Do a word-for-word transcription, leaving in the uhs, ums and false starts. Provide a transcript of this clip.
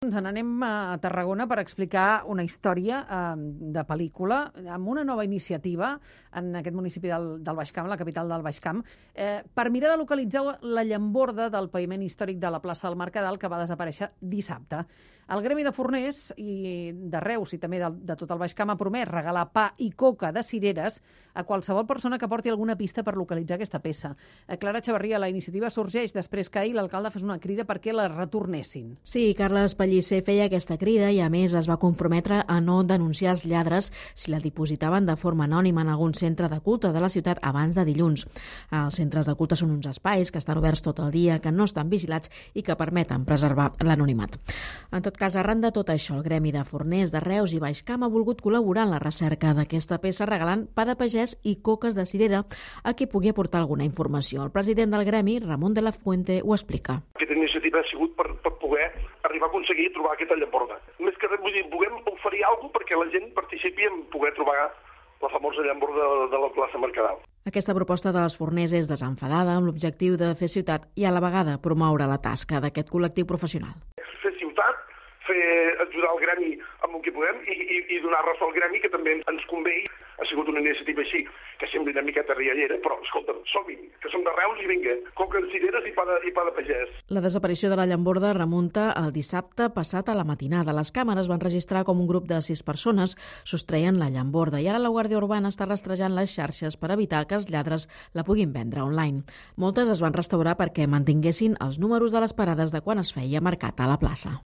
Ens n'anem a Tarragona per explicar una història eh, de pel·lícula amb una nova iniciativa en aquest municipi del, del Baix Camp, la capital del Baix Camp, eh, per mirar de localitzar la llamborda del paviment històric de la plaça del Mercadal que va desaparèixer dissabte. El Gremi de Forners i de Reus i també de, de tot el Baix Camp ha promès regalar pa i coca de cireres a qualsevol persona que porti alguna pista per localitzar aquesta peça. Eh, Clara Xavarria, la iniciativa sorgeix després que ahir l'alcalde fes una crida perquè la retornessin. Sí, Carles Pellicer feia aquesta crida i, a més, es va comprometre a no denunciar els lladres si la dipositaven de forma anònima en algun centre de culte de la ciutat abans de dilluns. Els centres de culte són uns espais que estan oberts tot el dia, que no estan vigilats i que permeten preservar l'anonimat. En tot cas, arran de tot això, el Gremi de Forners de Reus i Baix Camp ha volgut col·laborar en la recerca d'aquesta peça regalant pa de pagès i coques de cirera a qui pugui aportar alguna informació. El president del Gremi, Ramon de la Fuente, ho explica. Aquesta iniciativa ha sigut per, per poder arribar a aconseguir trobar aquesta llamborda. Més que res, vull dir, puguem oferir alguna cosa perquè la gent participi en poder trobar la famosa llamborda de, de la plaça Mercadal. Aquesta proposta dels forners és desenfadada amb l'objectiu de fer ciutat i a la vegada promoure la tasca d'aquest col·lectiu professional. Fer ciutat, fer ajudar el gremi amb el que podem i, i, i donar ressò al gremi, que també ens convé. Ha sigut una iniciativa així, que sembla una miqueta riallera, però, escolta'm, som-hi, que som de Reus i vinga, coca en cireres i pa de, i pa de pagès. La desaparició de la llamborda remunta el dissabte passat a la matinada. Les càmeres van registrar com un grup de sis persones sostreien la llamborda i ara la Guàrdia Urbana està rastrejant les xarxes per evitar que els lladres la puguin vendre online. Moltes es van restaurar perquè mantinguessin els números de les parades de quan es feia mercat a la plaça.